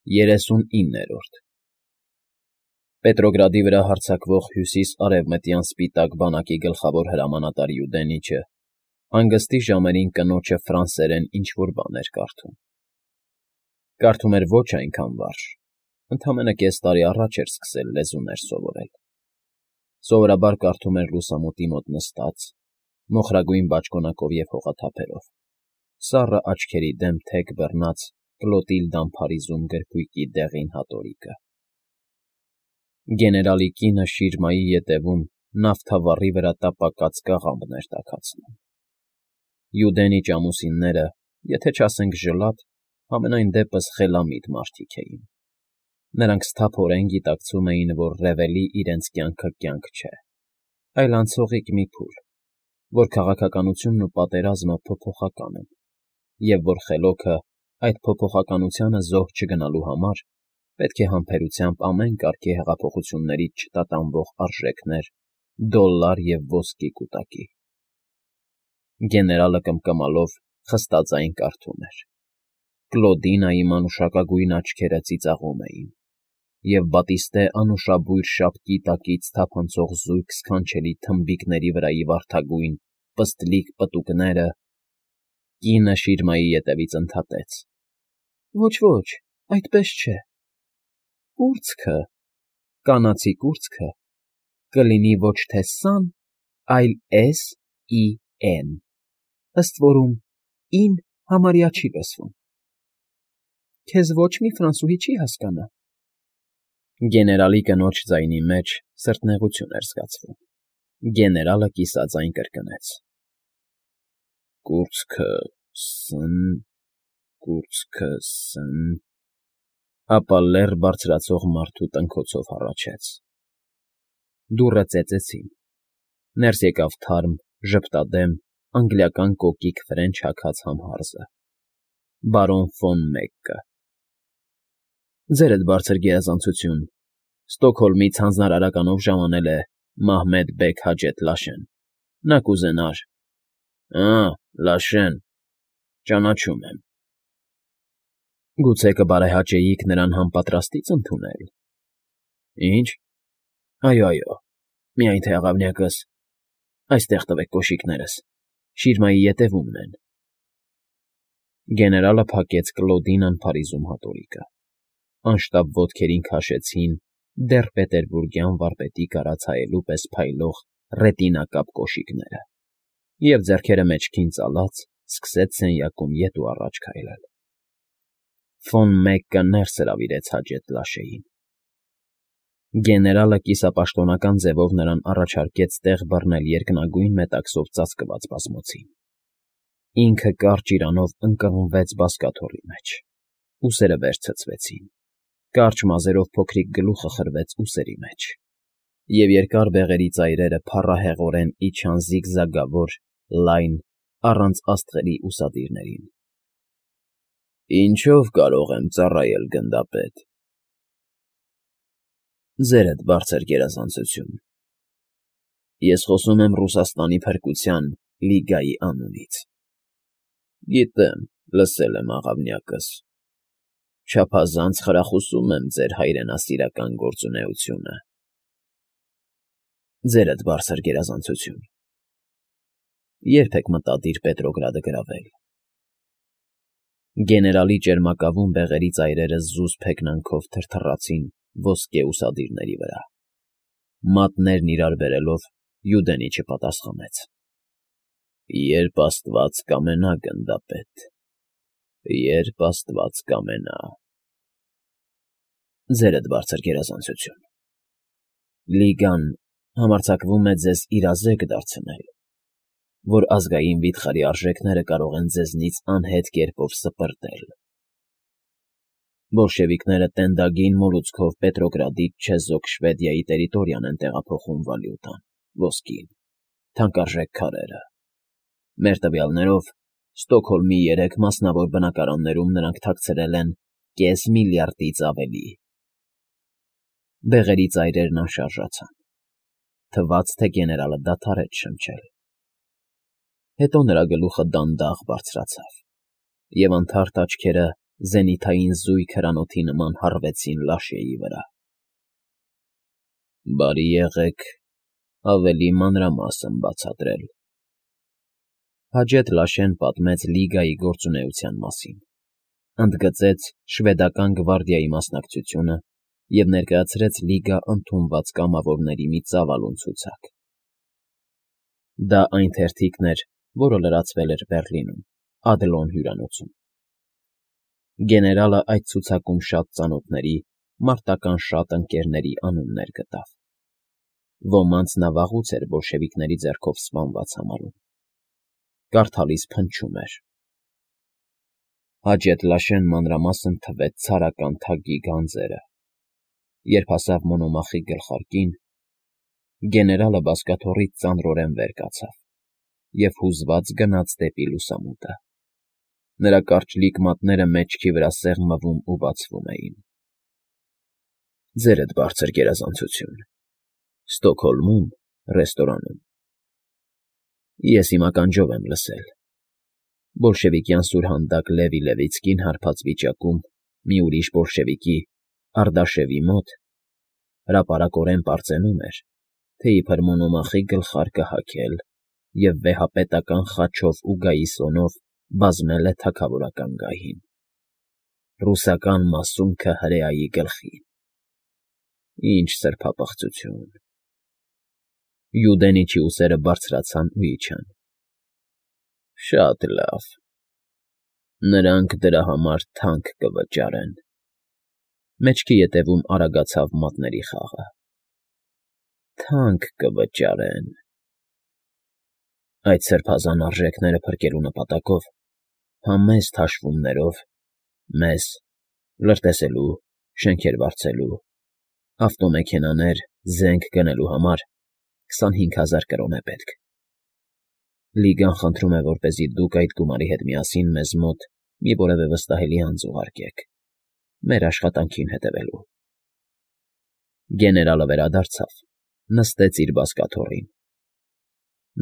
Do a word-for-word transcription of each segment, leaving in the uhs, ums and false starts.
երեսունիններորդ Պետրոգրադի վրա հարձակվող հյուսիս֊արևմտյան սպիտակ բանակի գլխավոր հրամանատար Յուդենիչը հանգստի ժամերին կնոջը ֆրանսերեն ինչ֊որ բան էր կարդում։ Կարդում էր ոչ այնքան վարժ, ընդամենը կես տարի առաջ էր սկսել լեզուներ սովորել։ Սովորաբար կարդում էր լուսամուտի մոտ նստած, մոխրագույն բաճկոնակով և հողաթափերով, սառը աչքերի դեմ թեք բռնած Կլոտիլդան փարիզում գրքույկի դեղին հատորիկը։ Գեներալի կինը շիրմայի ետևում նավթավառի վրա տապակած կաղամբն էր տաքացնում։ Յուդենիչ ամուսինները, եթե չասենք ժլատ, համենայն դեպս խելամիտ մարդիկ էին։ Նրանք սթափորեն գիտակցում էին, որ Ռևելի իրենց կյանքը կյանք չէ, այլ անցողիկ մի փուլ, որ քաղաքականությունն ու պատերազմը փոփոխական են, և որ խելոքը այդ փոփոխականությանը զոհ չգնալու համար պետք է համբերությամբ ամեն կարգի հեղափոխություններից չտատանվող արժեքներ, դոլլար և ոսկի կուտակի։ Գեներալը կմկմալով խստաձայն կարդում էր։ Կլոդինայի մանուշակագույն աչքերը ծիծաղում էին, և Բատիստե անուշաբույր շապկի տակից թափանցող զույգ սքանչելի թմբիկների վրայի վարդագույն, պստլիկ պտուկները… Կինը շիրմայի ետևից ընդհատեց. Ոչ, այդպես չէ… Կուրծքը, կանացի կուրծքը կլինի ոչ թե սան, այլ էս ի են, ըստ որում «ին» համարյա չի լսվում։ Քեզ ոչ մի ֆրանսուհի չի հասկանա… Գեներալի կնոջ ձայնի մեջ սրտնեղություն էր զգացվում։ Գեներալը կիսաձայն կրկնեց. Կուրծքը… ս֊ս֊ն… Կուրծքը… ս֊ս֊ն… Ապա լեռ բարձրացող մարդու տնքոցով հառաչեց։ Դուռը ծեծեցին, ներս եկավ թարմ, ժպտադեմ, անգլիական կոկիկ ֆրենչ հագած համհարզը… Բարոն ֆոն Մեգկը։ Ձերդ բարձր գերազանցություն, Ստոկհոլմից հանձնարարականով ժամանել է Մահմեդ բեգ Հաջեթ Լաշեն, նա կուզենար… Ա՜, Լաշեն… Ճանաչում եմ… Գուցե կբարեհաճեիք նրան համապատրաստից ընդունել… Ի՞նչ… Այո, այո, միայն թե աղավնյակս… Այստեղ տվեք կոշիկներս, շիրմայի ետևումն են… Գեներալը փակեց Կլոդինան Փարիզում հատորիկը, անշտապ ոտքերին քաշեցին դեռ պետերբուրգյան վարպետի կարած հայելու պես փայլող ռետինակապ կոշիկները, և ձեռքերը մեջքին ծալած սկսեց սենյակում ետ ու առաջ քայլել… Ֆոն Մեգկը ներս հրավիրեց Հաջեթ Լաշեին։ Գեներալը կիսապաշտոնական ձևով նրան առաջարկեց տեղ բռնել երկնագույն մետաքսով ծածկված բազմոցին։ Ինքը կարճ իրանով ընկղմվեց բազկաթոռի մեջ, ուսերը վեր ցցվեցին, կարճ մազերով փոքրիկ գլուխը խրվեց ուսերի մեջ, և երկար բեղերի ծայրերը փառահեղորեն իջան զիգզագավոր, լայն, առանց աստղերի ուսադիրներին։ Ինչո՞վ կարող եմ ծառայել, գնդապետ… Ձերդ բարձր գերազանցություն… Ես խոսում եմ Ռուսաստանի Փրկության Լիգայի անունից… Գիտեմ, լսել եմ աղավնյակս… Չափազանց խրախուսում եմ ձեր հայրենասիրական գործունեությունը… Ձերդ բարձր գերազանցություն… Ե՞րբ եք մտադիր Պետրոգրադը գրավել… Գեներալի ճերմակավուն բեղերի ծայրերը զուսպ հեգնանքով թրթռացին ոսկե ուսադիրների վրա… Մատներն իրար բերելով Յուդենիչը պատասխանեց. Երբ աստված կամենա, գնդապետ… Երբ աստված կամենա… Ձերդ բարձր գերազանցություն… Լիգան համարձակվում է ձեզ իրազեկ դարձնել, որ ազգային վիթխարի արժեքները կարող են ձեզնից անհետ կերպով սպրտել… Բոլշևիկները տենդագին մոլուցքով Պետրոգրադից չեզոք Շվեդիայի տերիտորիան են տեղափոխում վալյուտան, ոսկին, թանկարժեք քարերը… Մեր տվյալներով, Ստոկհոլմի երեք մասնավոր բնակարաններում նրանք թաքցրել են կես միլիարդից ավելի… Բեղերի ծայրերն անշարժացան, թվաց, թե գեներալը դադարեց շնչել… Հետո նրա գլուխը դանդաղ բարձրացավ, և անթարթ աչքերը զենիթային զույգ հրանոթի նման հառվեցին Լաշեի վրա։ ֊ Բարի եղեք ավելի մանրամասն բացատրել,֊ Հաջեթ Լաշեն պատմեց Լիգայի գործունեության մասին, ընդգծեց շվեդական գվարդիայի մասնակցությունը և ներկայացրեց Լիգա ընդունված կամավորների մի ծավալուն ցուցակ։ Դա այն թերթիկն էր, որը լրացվել էր Բեռլինում, Ադլոն հյուրանոցում։ Գեներալը այդ ցուցակում շատ ծանոթների, մարտական շատ ընկերների անուններ գտավ։ Ոմանց նա վաղուց էր բոլշևիկների ձեռքով սպանված համարում։ Կարդալիս փնչում էր. Հաջեթ Լաշեն մանրամասն թվեց ցարական թագի գանձերը։ Երբ հասավ Մոնոմախի գլխարկին, գեներալը բազկաթոռից ծանրորեն վեր կացավ և հուզված գնաց դեպի լուսամուտը։ Նրա կարճլիկ մատները մեջքի վրա սեղմվում ու բացվում էին։ Ձերդ բարձր գերազանցություն, Ստոկհոլմում, ռեստորանում։ Ես իմ ականջով եմ լսել. բոլշևիկյան սուրհանդակ Լևի Լևիցկին հարբած վիճակում մի ուրիշ բոլշևիկի՝ Արդաշևի մոտ հրապարակորեն պարծենում էր, թե իբր Մոնոմախի գլխարկը հագել և վեհապետական խաչով ու գայիսոնով բազմել է թագավորական գահին, ռուսական մասունքը հրեայի գլխին։ Ինչ սրբապղծություն… Յուդենիչի ուսերը բարձրացան ու իջան։ Շատ լավ… Նրանք դրա համար թանկ կվճարեն… Մեջքի ետևում արագացավ մատների խաղը։ Թանկ կվճարեն… Այդ սրբազան արժեքները փրկելու նպատակով, համեստ հաշվումներով, մեզ՝ լրտեսելու, շենքեր վարձելու, ավտոմեքենաներ, զենք գնելու համար քսանհինգ հազար կրոն է պետք։ Լիգան խնդրում է, որպեսզի դուք այդ գումարի հետ միասին մեզ մոտ մի որևէ վստահելի անձ ուղարկեք՝ մեր աշխատանքին հետևելու։ Գեներալը վերադարձավ, նստեց իր բազկաթոռին։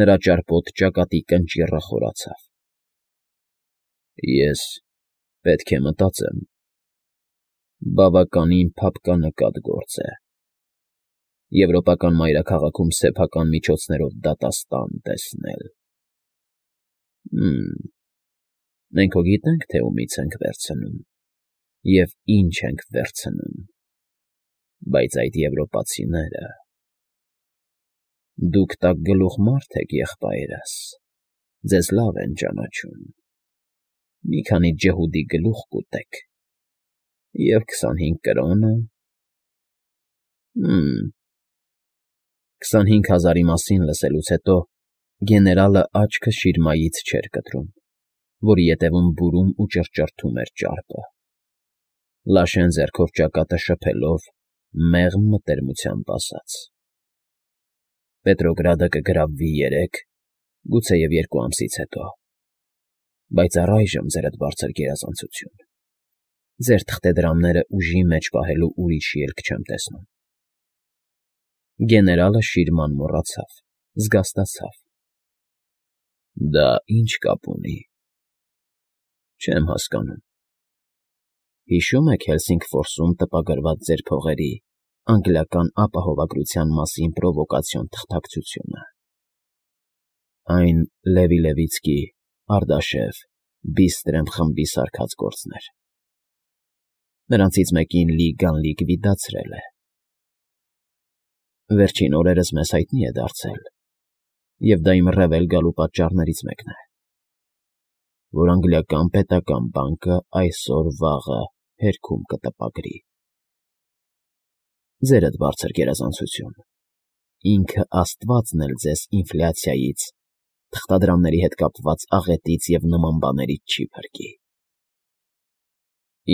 Նրա ճարպոտ ճակատի կնճիռը խորացավ։ Ես պետք է մտածեմ… Բավականին փափկանկատ գործ է… Եվրոպական մայրաքաղաքում սեփական միջոցներով դատաստան տեսնել… Հը՛մ… Մենք հո գիտենք, թե ումից ենք վերցնում և ինչ ենք վերցնում, բայց այդ եվրոպացիները… Դուք տակգլուխ մարդ եք, եղբայրս, ձեզ լավ են ճանաչում… Մի քանի ջհուդի գլուխ կուտեք, և քսանհինգ կրոնը… Հը՛մ… Քսանհինգ հազարի մասին լսելուց հետո գեներալը աչքը շիրմայից չէր կտրում, որի ետևում բուրում ու ճռճռթում էր ճարպը։ Լաշեն ձեռքով ճակատը շփելով մեղմ մտերմությամբ ասաց. Պետրոգրադը կգրավվի երեք, գուցեև երկու ամսից հետո, բայց առայժմ, ձերդ բարձր գերազանցություն, ձեր թղթեդրամները ուժի մեջ պահելու ուրիշ ելք չեմ տեսնում։ Գեներալը շիրման մոռացավ, զգաստացավ. Դա ի՞նչ կապ ունի… Չեմ հասկանում… Հիշո՞ւմ եք Հելսինգֆորսում տպագրված ձեր փողերի անգլիական ապահովագրության մասին պրովոկացիոն թղթակցությունը… Այն Լևի Լևիցկի, Արդաշև, Բիստրեմ խմբի սարքած գործն էր… Նրանցից մեկին Լիգան լիկվիդացրել է… Վերջին օրերս մեզ հայտնի է դարձել, և դա իմ ռեվել գալու պատճառներից մեկն է, որ անգլիական պետական բանկը այսօր֊վաղը հերքում կտպագրի… Ձերդ բարձր գերազանցություն, ինքը աստվածն էլ ձեզ ինֆլյացիայից, թղթադրամների հետ կապված աղետից և նման բաներից չի փրկի…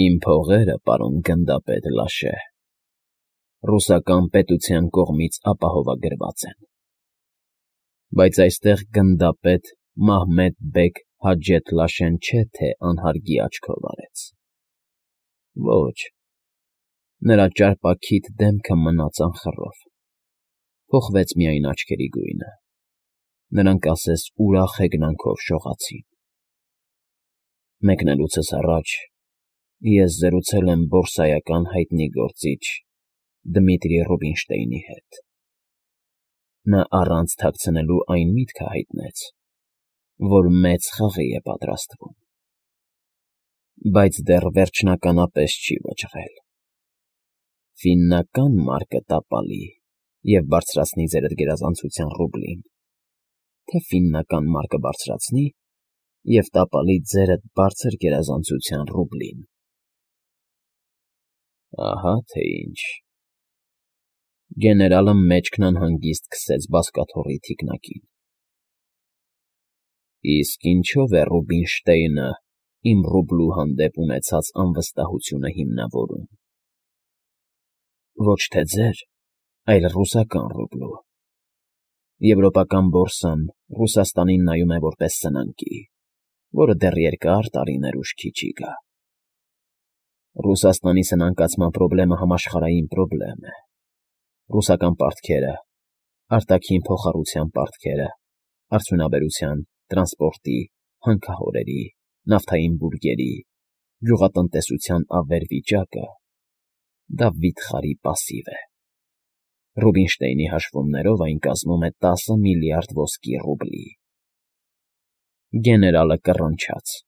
Իմ փողերը, պարոն գնդապետ Լաշե, ռուսական պետության կողմից ապահովագրված են, բայց այստեղ գնդապետ Մահմեդ֊բեգ Հաջեթ Լաշեն չէ, թե անհարգի աչքով արեց… Ոչ, նրա ճարպաքիթ դեմքը մնաց անխռով, փոխվեց միայն աչքերի գույնը, նրանք ասես ուրախ հեգնանքով շողացին… Մեկնելուցս առաջ Ես զրուցել եմ բորսայական հայտնի գործիչ Դմիտրի Ռուբինշտեյնի հետ. նա առանց թաքցնելու այն միտքը հայտնեց, որ մեծ խաղի է պատրաստվում, բայց դեռ վերջնականապես չի վճռել. ֆիննական մարկը տապալի և բարձրացնի ձերդ գերազանցության ռուբլին, թե ֆիննական մարկը բարձրացնի և տապալի ձերդ բարձր գերազանցության ռուբլին։ Ահա թե ինչ։ Գեներալը մեջքն անհանգիստ քսեց բազկաթոռի թիկնակին։ Իսկ ինչո՞վ է Ռուբինշտեյնը իմ ռուբլու հանդեպ ունեցած անվստահությունը հիմնավորում։ Ոչ թե ձեր, այլ ռուսական ռուբլու։ Եվրոպական բորսան Ռուսաստանին նայում է որպես սնանկի, որը դեռ երկար տարիներ ուշքի չի գա։ Ռուսաստանի սնանկացման պրոբլեմը համաշխարհային պրոբլեմ է։ Ռուսական պարտքերը, արտաքին փոխառության պարտքերը, արդյունաբերության, տրանսպորտի, հանքահորերի, նավթային բուրգերի, գյուղատնտեսության ավերվիճակը դա վիթխարի պասիվ է։ Ռուբինշտեյնի հաշվումներով այն կազմում է տասը միլիարդ ոսկի ռուբլի։ Գեներալը կռնչաց։